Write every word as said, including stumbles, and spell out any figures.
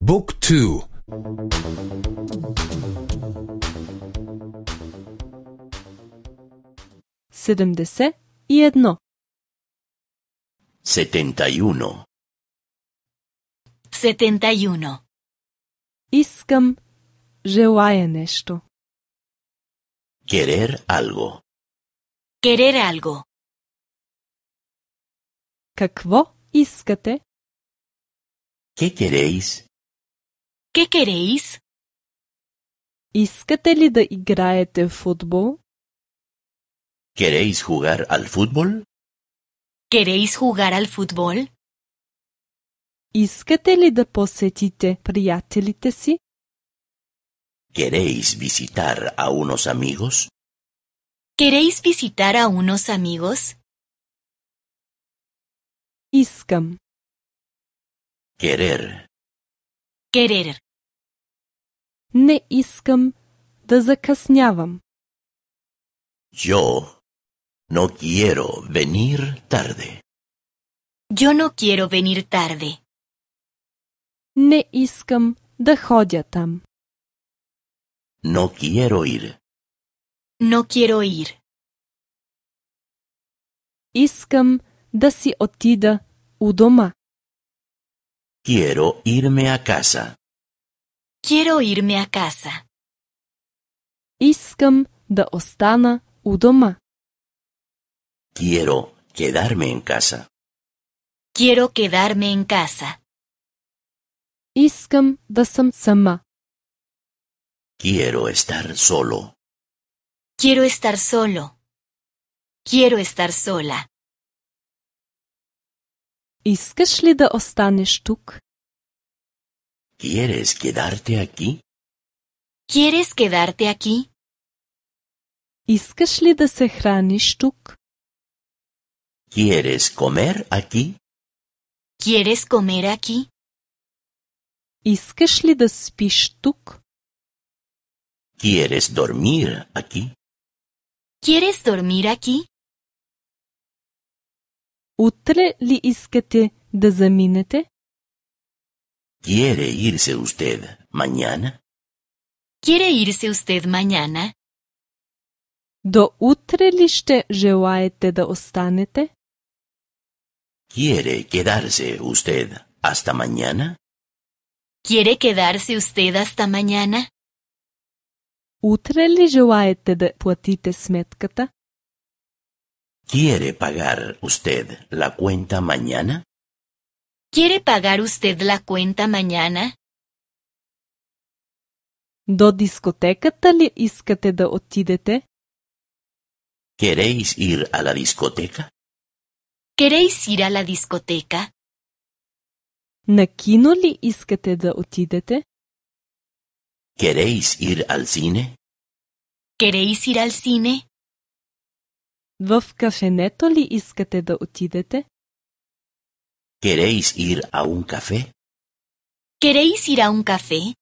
Book two. седемдесет и едно. setenta y uno. setenta y uno. Искам, желая нещо. Querer algo. Querer algo. Какво искате? ¿Qué queréis? ¿Qué queréis? Искате ли да играете в футбол? ¿Queréis jugar al fútbol? ¿Queréis jugar al fútbol? Искате ли да посетите приятелите си? ¿Queréis visitar a unos amigos? ¿Queréis visitar a unos amigos? Искам. Querer. Querer. Не искам да закъснявам. Yo no quiero venir tarde. Yo no quiero venir tarde. Не искам да ходя там. No quiero ir. No quiero ir. Искам да си отида у дома. Quiero irme a casa. Quiero irme a casa. Искам да остана у дома. Quiero quedarme en casa. Quiero quedarme en casa. Искам да съм сама. Quiero estar solo. Quiero estar solo. Quiero estar sola. Искаш ли да останеш тук? ¿Quieres quedarte aquí? ¿Quieres quedarte aquí? Искаш ли да се храниш тук? ¿Quieres comer aquí? ¿Quieres comer aquí? Искаш ли да спиш тук? ¿Quieres dormir aquí? ¿Quieres dormir aquí? Утре ли искате да заминете? ¿Quiere irse usted mañana? ¿Quiere irse usted mañana? До утре ли ще желаете да останете? ¿Quiere quedarse usted hasta mañana? ¿Quiere quedarse usted hasta mañana? Утре ли желаете да платите сметката? ¿Quiere pagar usted la cuenta mañana? ¿Quiere pagar usted la cuenta mañana? До дискотеката ли искате да отидете? ¿Queréis ir a la discoteca? ¿Queréis ir a la discoteca? На кино ли искате да отидете? ¿Queréis ir al cine? ¿Queréis ir al cine? В кафенето ли искате да отидете? ¿Queréis ir a un café? ¿Queréis ir a un café?